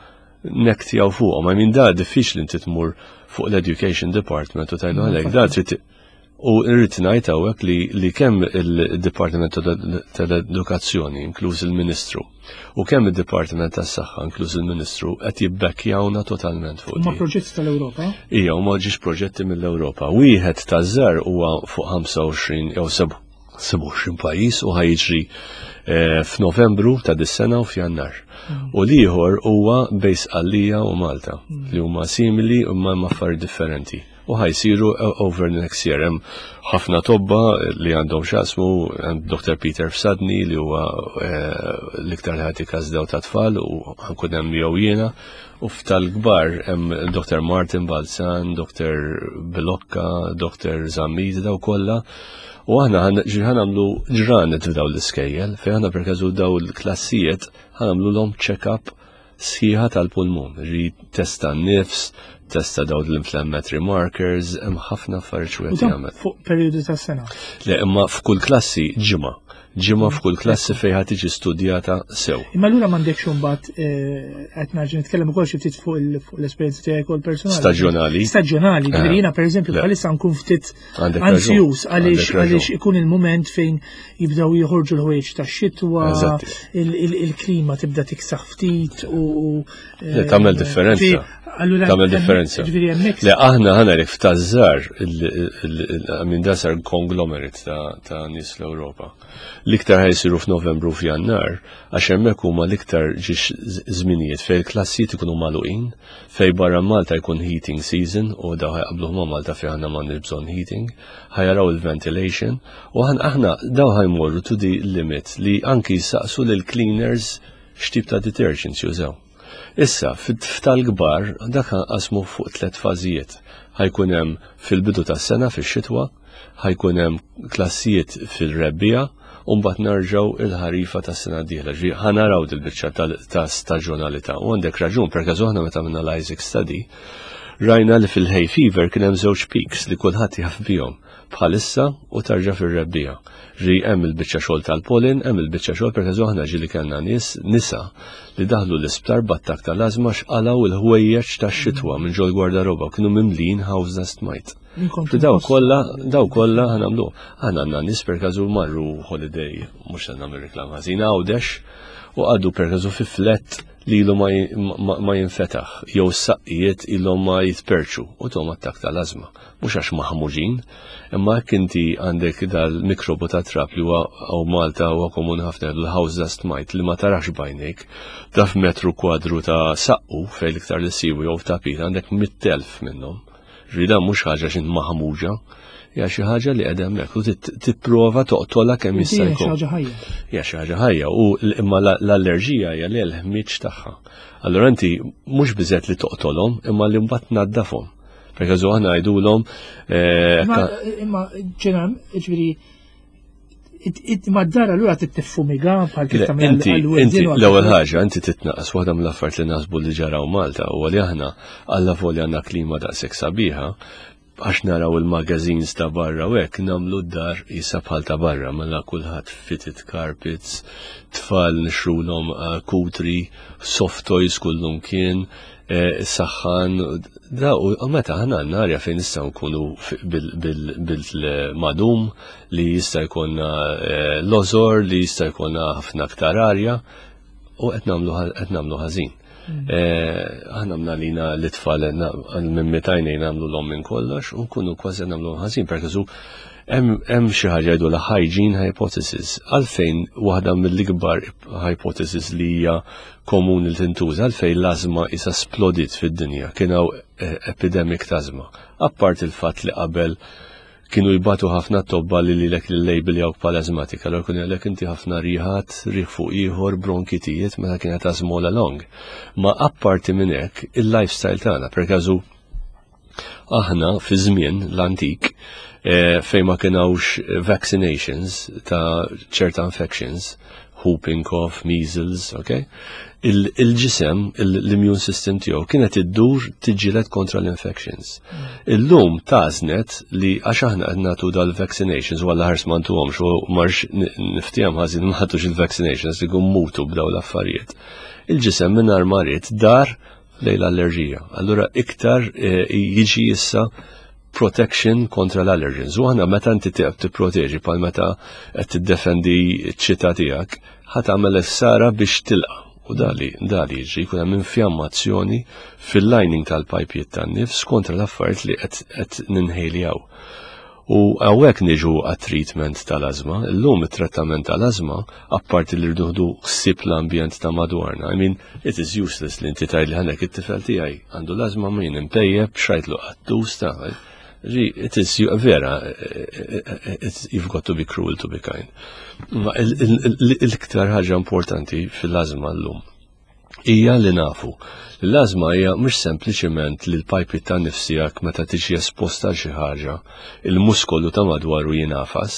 nektjaw fuqhom. I mean da diffiċli inti tmur fuq l-education department u tgħidu għalhekk da trid U rrid ngħid hawnhekk li, li kemm il-Dipartiment tal-Edukazzjoni, inkluż il-Ministru, u kemm id-Dipartiment tas-Saħħa, inkluż il-Ministru, qed jibbekkjawna totalment fuq. Huma proġetti tal-Ewropa? Ija, huma ġiex proġetti mill-Ewropa. Wieħed taż-żar huwa fuq 25 jew 27 pajjiż u ħajġri eh, f'Novembru ta' dis-sena u f'Jannar. Mm. U l-ieħor huwa bejn Sqallija u Malta mm. li huma simili imma hemm affarijiet differenti u ħa jsiru over the next year. Hemm ħafna tobba li għandhom x'jaqsmu, hemm Dr. Peter Fsadni li huwa eh, l-iktar li ħati każdew ta' tfal u ħankun hemm jew jiena. U f'tal-kbar hemm Dr. Martin Balzan, Dr. Bilocca, Dr. Zammit, daw kollha. U aħna ħanamlu ġranet f'daw l-iskejjel, fejn aħna per każu daw l-klassijiet ħanamlu l-om check-up. sħiħa tal-pulmun, ri testa n-nifs, testa daw l-inflammatory markers, hemm ħafna affarijiet wieħed jagħmel. Fuq perjodu ta' sena. Le, imma f'kull klassi ġimgħa. Ġimgħa f'kull klassi fejn ħad tiġi studjata sew. Imma allura m'għandekx imbagħad eh, qed nerġa' nitkellem ukoll xi ftit fuq l-esperjenza tiegħi ukoll personali. Staġjonali. Staġjonali, ġifieri jiena pereżempju bħalissa nkun ftit ansjus għaliex għaliex ikun il-mument fejn jibdew joħorġu l-ħwejġ tax-xitwa, il-klima tibda tiksaħ ftit u eh, tagħmel differenza. Tagħmel differenza. Le aħna ħana li f'tażżar minn dasar konglomerat ta' nies l-Ewropa. L-iktar ħajsiru f'Novembru f'Jannar għax hemmhekk huma l-iktar ġiex żminijiet fejn il-klassijiet ikunu magħluqin, fejn barra Malta jkun heating season u daw ħajqabluh ma' Malta fejn aħna m'għandniex bżonn heating, ħajaraw il-ventilation u aħna daw ħajmorru to the limit li anki jsaqsu lil cleaners x'tip ta' detergents jużaw. Issa, f'tal-kbar, dak qasmu fuq tlet fażijiet. Ħajkun hemm fil-bidu tas-sena fix-xitwa, ħajkun hemm klassijiet fil-rebbiegħa u mbagħad narġgħu il-ħarifa tas-sena d-dieħla. Ġifieri ħa naraw dil-biċċa ta' staġjonalità. U għandek raġun, per każu aħna meta għamilna l-Isaac Study, rajna li fil-hay fever kien hemm żewġ peaks li kulħadd jaf bihom bħalissa u tarġa' fir-rebbiegħa. Ġifieri hemm il-biċċa xogħol tal-pollen, hemm il-biċċa xogħol per każu aħna ġieli kellna nies nisa li daħlu l-isptar b'attakk tal-ażma x'qalgħu il-ħwejjeġ tax-xitwa minn ġol-gwardaroba u kienu mimlijin house dust mite. Daw kollha, daw kollha ħanamlu. Aħna għandna nies per każu marru holiday, mhux se nagħmel reklam ħażin Għawdex, u għaddu per każu fi flat li ilu ma jinfetaħ, jew saqqijiet ilhom ma jitperċu u tom attak tal-ażma. Mhux għax maħmuġin, imma jekk inti għandek dal-mikrobu ta' trab li huwa hawn Malta huwa komuni ħafna l-house dust mite li ma tarax b'għajnejk, daf metru kwadru ta' saqqu fejn l-iktar li siwi jew tapit għandek 100,000 minnhom. Ġifieri dan mhux ħaġa x'int maħmuġa, hija xi ħaġa li qiegħda hemmhekk u tipprova toqtolha kemm jista' jkun. Hija xi ħaġa ħajja. Hija xi ħaġa ħajja u imma l-allerġija hija li l-ħmieġ tagħha. Allura inti mhux biżgħet li toqtolhom imma li mbagħad tnaddafhom. Per każu aħna ngħidulhom eh, Imma ġenan, ġifieri Ma d-dar allura tittiffumiga bħal kif tagħmel Inti, inti l-ewwel ħaġa inti titnaqqas waħda mill-affarijiet li naħsbu li ġaraw Malta huwa li aħna alla volja għandna klima daqshekk sabiħa għax naraw il-magazines ta' barra u hekk nagħmlu d-dar jisa bħal ta' barra mela kulħadd fitted carpets, tfal nixrulhom eh, kutri, soft toys kullum kien, Eh, saħħan, da u meta ħana għandna arja fejn nistgħu nkunu bil-madum li jista' jkollna eh, l-ozor, li jista' jkollna ħafna aktar arja u qed nagħmlu ħażin. Mm. Eh, aħna għamna lina l-itfal minn mitajnej nagħmlu l-om minn kollox u nkunu kważi nagħmlu ħażin perché hemm xi ħaġa jgħidu la hygiene hypothesis għalfejn waħda mill-ikbar hypothesis li hija komuni li tintuża għalfejn l-ażma isa splodiet fid-dinja, kien hawn eh, epidemic ta' ażma. Apart il-fatt li qabel kienu jbatu ħafna tobba li lilek li label jawk bħala azmatika, allora kun jgħalek inti ħafna riħat, riħ fuq ieħor, bronkitijiet, meta kienet ażma all along. Ma apparti minn hekk, il-lifestyle tagħna, per każu aħna fi żmien l-antik eh, fejn ma kienawx vaccinations ta' ċerta infections, whooping cough, measles, ok? Il-ġisem, l-immune system tiegħu kienet iddur tiġġieled kontra l-infections. Illum tażnet li għax aħna qed nagħtu dal-vaccinations u għalla ħars ma ntuhomx u marx niftehom ħażin ma ħadux il-vaccinations li mutu b'daw l-affarijiet. Il-ġisem mingħajr ma ried dar lejn l-allerġija. Allura iktar eh, jiġi issa protection kontra l-allergens. U aħna meta inti tiqab tipproteġi bħal meta qed tiddefendi ċ-ċita tiegħek, ħa tagħmel ħsara biex tilqa' u dali dali jiġri jkun hemm infjammazzjoni fil-lining tal-pajpijiet tan-nifs kontra l-affarijiet li qed ninħejljaw. U hawnhekk niġu għat-treatment tal-ażma. Illum it-trattament tal-ażma, apparti li rridu nieħdu ħsieb l-ambjent ta' madwarna. I mean, it is useless li inti tgħidli ħanek it-tifel tiegħi għandu l-ażma ma jien impejjeb xrajtlu qattus ta' It is vera, you've got to be cruel to be kind. Ma l-iktar ħaġa importanti fil-ażma llum. Hija li nafu li l-ażma hija mhux sempliċiment li l-pajpi ta' nifs tiegħek meta tiġi esposta għal xi ħaġa, il-muskolu ta' madwaru jingħafas,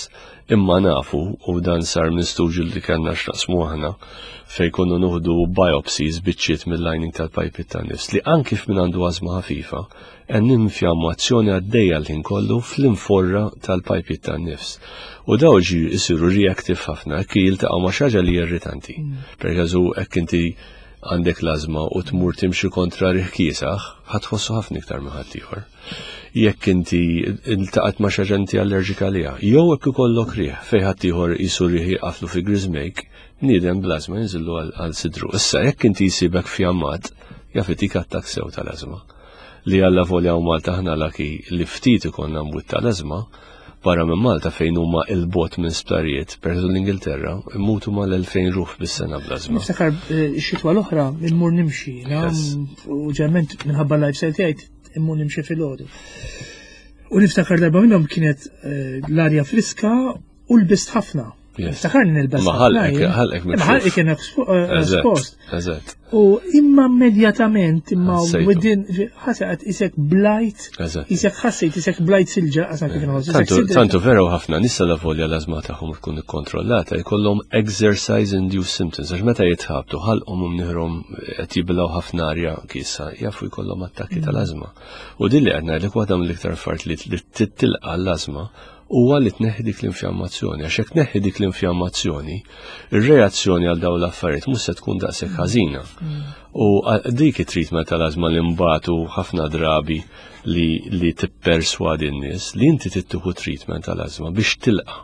imma nafu, u dan sar minn studju li kellna x'naqsmu aħna, fejn konna nuħdu biopsies biċċiet mill-lining tal-pajpi ta' nifs, li anki f'min għandu ażma ħafifa, hemm infjammazzjoni għaddejja l-ħin kollu fl-inforra tal-pajpi tan-nifs. U daw ġi jisiru reactive ħafna, hekk jiltaqgħu ma' xi ħaġa li irritanti. Per każu hekk inti għandek l-ażma u tmur timxi kontra riħ kiesaħ, ħa tħossu ħafna iktar minn ħaddieħor. Jekk inti iltaqgħet ma' xi ħaġa inti allerġika għaliha, jew hekk ikollok riħ fejn ħaddieħor jisu riħ jaqaflu fi griżmejk, bniedem bl-ażma jinżillu għal sidru. Issa jekk inti jsibek fjammat, jaf itik attakk sew tal-ażma. Li alla volja u Malta aħna laki li ftit ikollna mwit tal-ażma, barra minn Malta fejn huma il-bot minn sptarijiet, per l-Ingilterra, immutu mal-2000 ruħ bis-sena bl-ażma. Niftakar eh, xitwa l-oħra immur nimxi, u ġerment minħabba lifestyle tiegħi immur nimxi filgħodu. U niftakar darba minnhom kienet eh, l-arja friska u l-bist ħafna. Niftakar nilbes. Ma ħalqek, ħalqek Ma ħalqek kien eh, espost. Eżatt. U imma immedjatament, imma within, ħasaqat isek blajt, isek ħassejt isek blajt silġa, għasan kif nħoss. Tantu vera u ħafna nisa la volja l-azma tagħhom tkun ikkontrollata, jkollhom exercise induced symptoms, għax meta jitħabtu ħalqhom u mniħrom qed jibilgħu ħafna arja kisa, jafu jkollhom attakki tal-azma. U din li qed ngħidlek waħda mill-iktar affarijiet li tilqa' l-azma huwa li tneħħi dik l-infjammazzjoni, għax jekk tneħħi dik l-infjammazzjoni, ir-reazzjoni għal dawn l-affarijiet mhux se tkun daqshekk ħażina. U dik it-treatment tal-ażma li mbagħtu ħafna drabi li, li tipperswadi n-nies li inti tittieħu treatment tal-ażma biex tilqa'.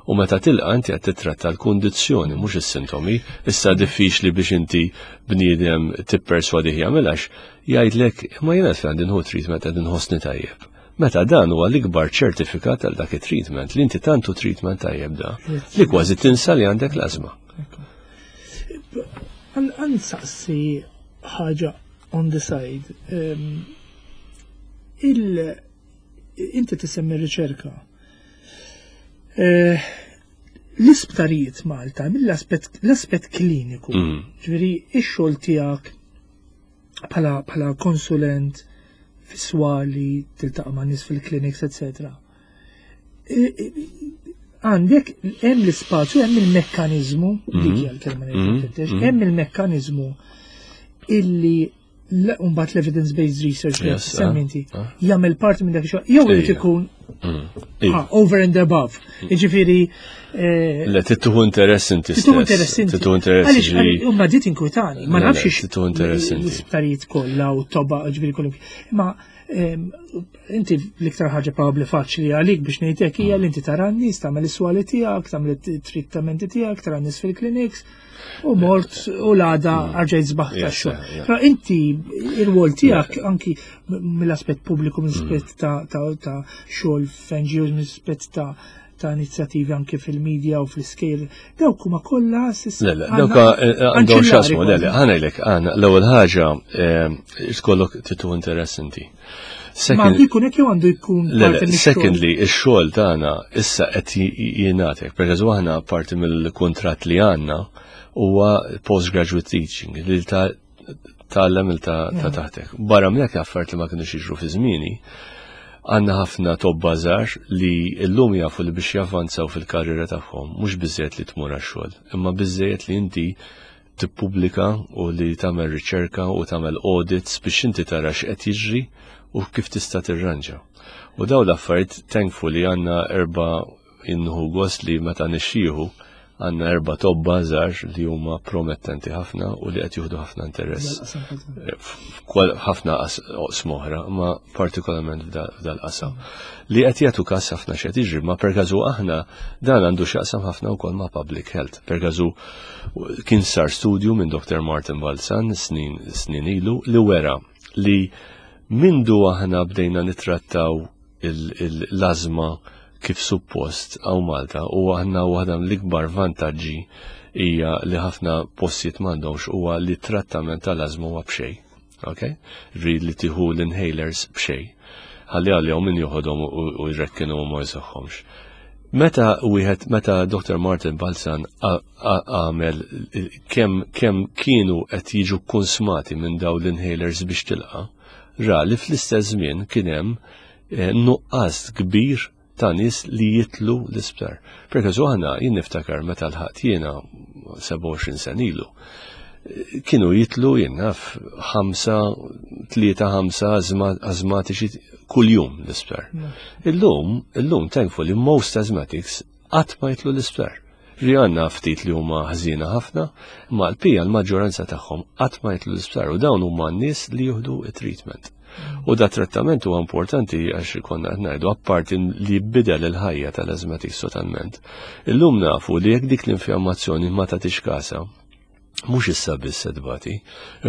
U meta tilqa' inti qed titratta l-kundizzjoni mhux is-sintomi, issa diffiċli biex inti bniedem tipperswadih jagħmel għax jgħidlek imma jiena għandi nħu treatment qed inħossni tajjeb. Meta dan huwa l-ikbar ċertifikat għal dak it-treatment, li inti tantu treatment tajjeb da, li kważi tinsa li għandek l-ażma. Għan saqsi ħaġa on the side. Il inti tisemmi riċerka. Eh, l-isptarijiet Malta mill-aspett kliniku, ġifieri ix-xogħol tiegħek bħala konsulent fiswali, tiltaqa' ma' nies fil-clinics, etc. Għandek hemm l-ispazju, hemm il-mekkaniżmu, dik hija l-kelma li mhm. hemm il-mekkaniżmu illi mbagħad l-evidence-based research li semminti ah, ah. jagħmel parti minn dak ix-xogħol jew irid ikun mm. ah, over and above. Mm. Jiġifieri eh, Le tittuħu interess inti. Tittuħu interess inti. Tittuħu interess. Għaliex huma dit inkwitani, ma nafx tittuħu interess inti. L-isptarijiet kollha u toba ġifieri kollu. Imma ehm, inti l-iktar ħaġa probabbli faċli għalik biex ngħidlek hija li inti tara n-nies, tagħmel is-swali tiegħek, tagħmel it-trittamenti tiegħek, tara n-nies fil-clinics, u mort u l-għada mm. għarġajt zbaħ ta' xogħol. Però inti ir-rwol tiegħek anki mill-aspett pubbliku, mill-aspett mm. ta' xogħol f'NGOs, mill-aspett ta' ta' inizjattivi anke fil-media u fl-iskejl, dawk huma kollha s'issa. Le, le, dawk eh, għandhom x'asmu, le, le, ħanejlek, għandna l-ewwel ħaġa eh, tkollok titu interess inti. Ma għandu jkun hekk jew għandu jkun Secondly, ix-xogħol tagħna issa qed jingħatek, per aħna parti mill-kuntratt li għandna huwa postgraduate teaching li ta' tgħallem il ta' mm. taħtek. Barra minn hekk affarijiet li ma kinux jiġru fi żmieni, għandna ħafna tobba żgħar li llum jafu li biex javvanzaw fil-karriera tagħhom mhux biżejjed li tmur għax-xogħol, imma biżejjed li inti tippubblika u li tagħmel riċerka u tagħmel audits biex inti tara x'qed jiġri u kif tista' tirranġa. U daw l-affarijiet thankfully għandna erba' inħu gost li meta nixxieħu għandna erba' tobba żgħar li huma promettenti ħafna u li qed jieħdu ħafna interess ħafna oqsma oħra, ma partikolarment f'dal-qasam. Li qed jagħtu każ ħafna x'qed jiġri, ma per każu aħna dan għandu x'jaqsam ħafna wkoll ma' public health. Per każu kien sar studju minn Dr. Martin Balzan snin snin ilu li wera li mindu aħna bdejna nittrattaw l-ażma kif suppost għaw Malta u aħna waħda mill-ikbar vantaġġi hija li ħafna postijiet m'għandhomx huwa li trattament tal-ażma huwa b'xejn. Okay? Rid li tieħu l-inhalers b'xejn. Ħalli għalihom min joħodhom u jrekkinu ma jseħħomx. Meta wieħed meta Dr. Martin Balzan għamel kemm kemm kienu qed jiġu konsmati minn dawn l-inhalers biex tilqa, ra li fl-istess żmien kien hemm eh, nuqqas kbir ta' nies li jitlu l-isptar. Perché aħna jien niftakar meta l-ħadd jiena 27 sen ilu kienu jitlu jien naf ħamsa, tlieta ħamsa azmatiċi kuljum l-isptar. Illum, illum thankfully most asthmatics qatt ma jitlu l-isptar. Ri għandna ftit li huma ħżiena ħafna, ma l-pija l-maġġoranza tagħhom qatt ma jitlu l-isptar u dawn huma n-nies li jieħdu it-treatment. U da trattament huwa importanti għax konna qed ngħidu apparti li jbidel il-ħajja tal-asthmatics totalment. Illum nafu li jekk dik l-infjammazzjoni ma tagħtix kasa, mhux issa biss se tbati,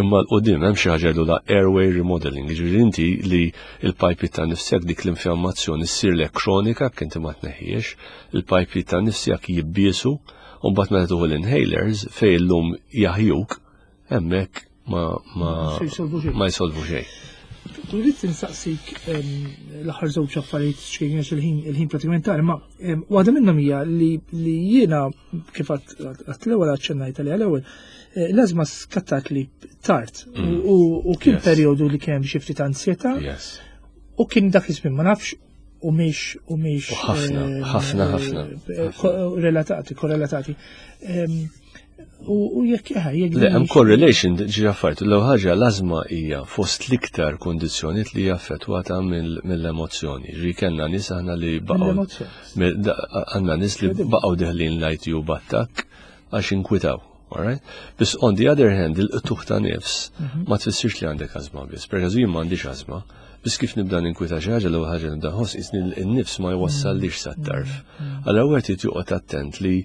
imma l-qudiem hemm xi ħaġa la airway remodeling, jiġifieri inti li l-pajpi ta' nifsek dik l-infjammazzjoni ssirlek kronika jekk inti ma tneħħiex, il-pajpi ta' nifsek jibbiesu, u mbagħad meta tuħu l-inhalers fejn illum jaħjuk, hemmhekk ma ma ma jsolvu xejn. Rrid insaqsik l-aħħar żewġ affarijiet xejn għax il-ħin il-ħin pratikament tard, ma waħda minnhom hija li jiena kif għat l-ewwel aċċennajt għaliha l-ewwel, eh, l-ażma skattat li tard mm. u kien perjodu li kien hemm xi ftit ansjetà. U kien dak iż-żmien ma nafx u miex u miex. Ħafna, eh, ħafna, ħafna. Eh, relatati, korrelatati. U jekk eh, jekk. Le, hemm correlation ġi affarijiet. L-ewwel ħaġa l-ażma hija fost l-iktar kundizzjonijiet li hija affettwata mill-emozzjoni. Ġi kellna nies aħna li baqgħu għandna nies li baqgħu deħlin l-ITU b'attakk għax inkwitaw. Alright? Biss on the other hand, il-qtuħ ta' nifs mhm. ma tfissirx li għandek ażma biss. Per jien m'għandix ażma, biss kif nibda ninkwita xi ħaġa l-ewwel ħaġa nibda nħoss isni n-nifs ma jwassallix sat-tarf. Mhm. Allura wieħed irid joqgħod attent li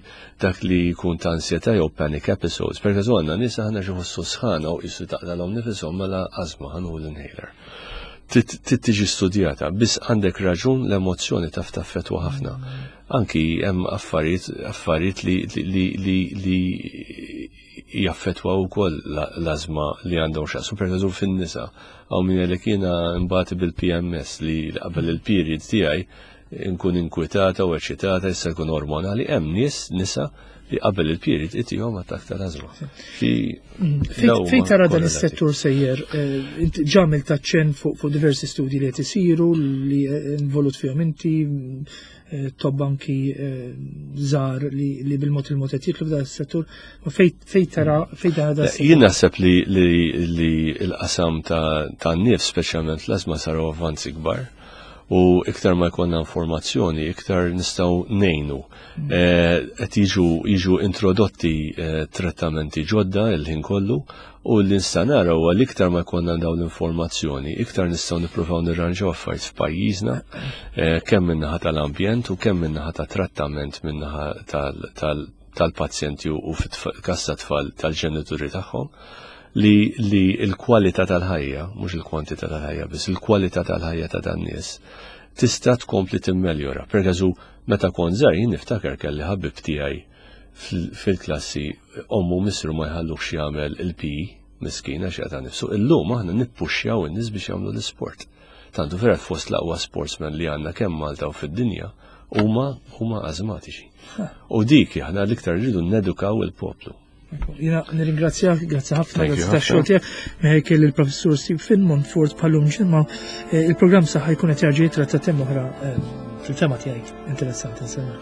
dak li jkun ta' ansjetà jew panic episodes, per każu għandna nies aħna xi ħossu sħana u qisu taqlalhom nifishom mela ażma ħanħu l-inhaler. Trid tiġi studjata, biss għandek raġun l-emozzjoni taf taffettwa ħafna. Anki hemm affarijiet affarijiet li li li li jaffettwaw ukoll l-ażma li għandhom x'jaqsmu per eżempju fin-nisa. Hawn min jgħidlek jiena nbati bil-PMS li qabel il-period tiegħi nkun inkwitata u eċitata issa jkun ormonali, hemm nies nisa li qabel il-period itihom attakk tal-ażma. Mm. Fejn tara dan is-settur sejjer, eh, inti ġamil taċċen fuq diversi studji li qed isiru li eh, involut fihom inti, eh, tobb anki żgħar li bil-mod il-mod qed jitlu f'dan is-settur, ma fejn tara fejn tara dan Jien naħseb li l-qasam ta' nifs speċjalment l-ażma saru avvanzi kbar u iktar ma jkollna informazzjoni, iktar nistgħu ngħinu. Mm. Eh, qed jiġu jiġu introdotti eh, trattamenti ġodda il-ħin kollu u li nista' nara huwa li iktar ma jkollna dawn l-informazzjoni, iktar nistgħu nippruvaw nirranġaw affarijiet f'pajjiżna, eh, kemm min-naħa tal-ambjent u kemm min-naħa ta' trattament min-naħa tal-pazjenti u fil-każ ta' tfal tal-ġenituri tagħhom li li l-kwalità tal-ħajja, mhux il-kwantità tal-ħajja biss, il-kwalità tal-ħajja ta' dan nies tista' tkompli timmeljora. Per eżempju, meta kont żgħir jien niftakar kelli ħabib tiegħi fil-klassi ommu missru ma jħallux jagħmel il-PE miskin għax jaqta' nifsu. Illum aħna nippuxxjaw in-nies biex jagħmlu l-isport. Tantu vera fost l-aqwa sportsmen li għandna kemm Malta u fid-dinja huma huma ażmatiċi. U dik aħna l-iktar rridu nedukaw il-poplu. Jina nirringrazzjak, grazzi ħafna, grazzi ta' xogħol tiegħek. Meħek il-professur Steve Finn Montfort bħallum ġimgħa eh, il-programm saħħa jkun qed jarġa' jitratta tema oħra eh, fil-tema tiegħek interessanti nsemmi.